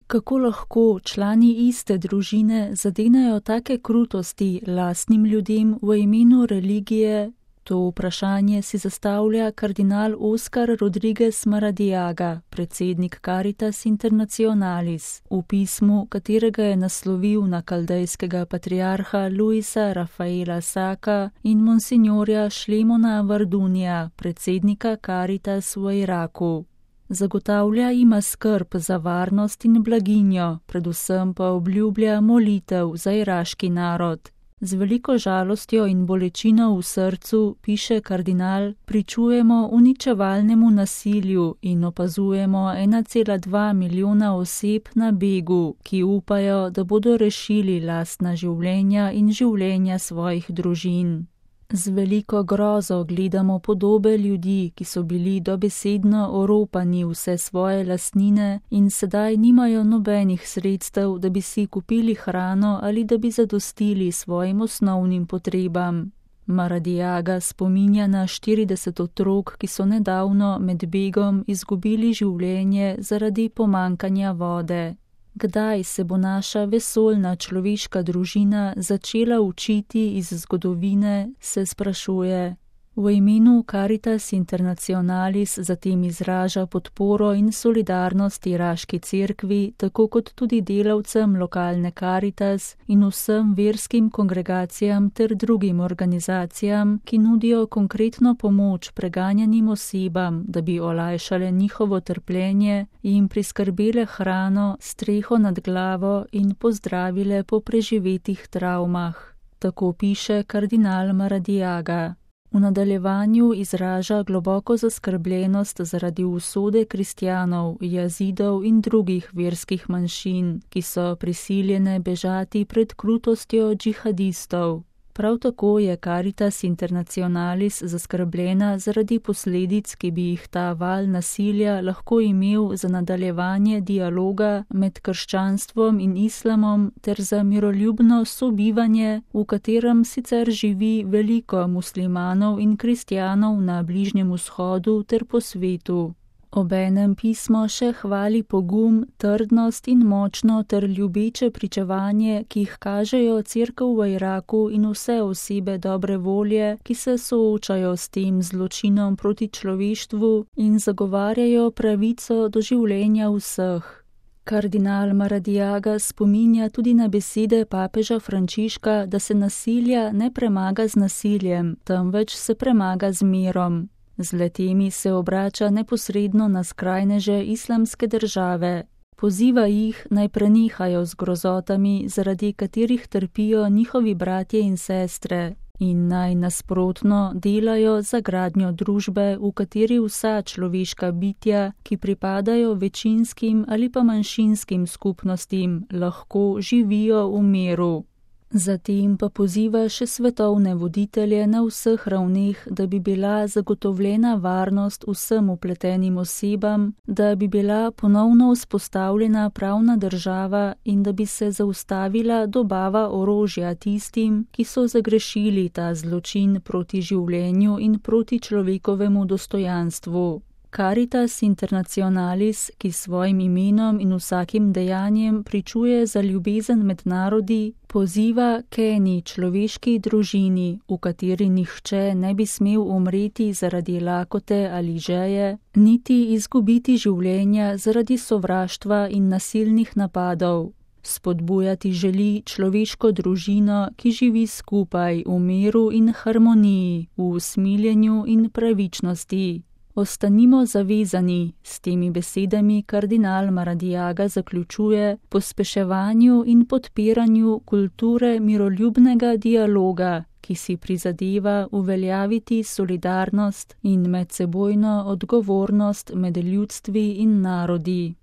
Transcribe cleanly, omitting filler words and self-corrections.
Kako lahko člani iste družine zadenejo take krutosti lastnim ljudem v imenu religije? To vprašanje si zastavlja kardinal Oscar Rodriguez Maradiaga, predsednik Caritas Internationalis, v pismu, katerega je naslovil na kaldejskega patriarha Luisa Rafaela Saka in monsignorja Šlemona Vardunija, predsednika Caritas v Iraku. Zagotavlja ima skrb za varnost in blaginjo, predvsem pa obljublja molitev za iraški narod. Z veliko žalostjo in bolečino v srcu, piše kardinal, pričujemo uničevalnemu nasilju in opazujemo 1,2 milijona oseb na begu, ki upajo, da bodo rešili lastna življenja in življenja svojih družin. Z veliko grozo gledamo podobe ljudi, ki so bili dobesedno oropani vse svoje lastnine in sedaj nimajo nobenih sredstev, da bi si kupili hrano ali da bi zadostili svojim osnovnim potrebam. Maradiaga spominja na 40 otrok, ki so nedavno med begom izgubili življenje zaradi pomankanja vode. Kdaj se bo naša vesoljna človeška družina začela učiti iz zgodovine, se sprašuje. V imenu Caritas Internationalis zatem izraža podporo in solidarnost iraški cerkvi, tako kot tudi delavcem lokalne Caritas in vsem verskim kongregacijam ter drugim organizacijam, ki nudijo konkretno pomoč preganjanim osebam, da bi olajšale njihovo trpljenje, jim priskrbele hrano, streho nad glavo in pozdravile po preživetih travmah. Tako piše kardinal Maradiaga. V nadaljevanju izraža globoko zaskrbljenost zaradi usode kristjanov, jazidov in drugih verskih manjšin, ki so prisiljene bežati pred krutostjo džihadistov. Prav tako je Caritas Internationalis zaskrbljena zaradi posledic, ki bi jih ta val nasilja lahko imel za nadaljevanje dialoga med krščanstvom in islamom ter za miroljubno sobivanje, v katerem sicer živi veliko muslimanov in kristjanov na Bližnjem vzhodu ter po svetu. Obenem pismo še hvali pogum, trdnost in močno ter ljubeče pričevanje, ki jih kažejo cerkev v Iraku in vse osebe dobre volje, ki se soočajo s tem zločinom proti človeštvu in zagovarjajo pravico do življenja vseh. Kardinal Maradiaga spominja tudi na besede papeža Frančiška, da se nasilja ne premaga z nasiljem, temveč se premaga z mirom. Z letemi se obrača neposredno na skrajneže islamske države. Poziva jih, naj prenehajo z grozotami, zaradi katerih trpijo njihovi bratje in sestre, in naj nasprotno delajo za gradnjo družbe, v kateri vsa človeška bitja, ki pripadajo večinskim ali pa manjšinskim skupnostim, lahko živijo v miru. Zatem pa poziva še svetovne voditelje na vseh ravneh, da bi bila zagotovljena varnost vsem vpletenim osebam, da bi bila ponovno vzpostavljena pravna država in da bi se zaustavila dobava orožja tistim, ki so zagrešili ta zločin proti življenju in proti človekovemu dostojanstvu. Caritas Internationalis, ki svojim imenom in vsakim dejanjem pričuje za ljubezen med narodi, poziva k eni človeški družini, v kateri nihče ne bi smel umreti zaradi lakote ali žeje, niti izgubiti življenja zaradi sovraštva in nasilnih napadov. Spodbujati želi človeško družino, ki živi skupaj v miru in harmoniji, v usmiljenju in pravičnosti. Ostanimo zavezani, s temi besedami kardinal Maradiaga zaključuje, pospeševanju in podpiranju kulture miroljubnega dialoga, ki si prizadeva uveljaviti solidarnost in medsebojno odgovornost med ljudstvi in narodi.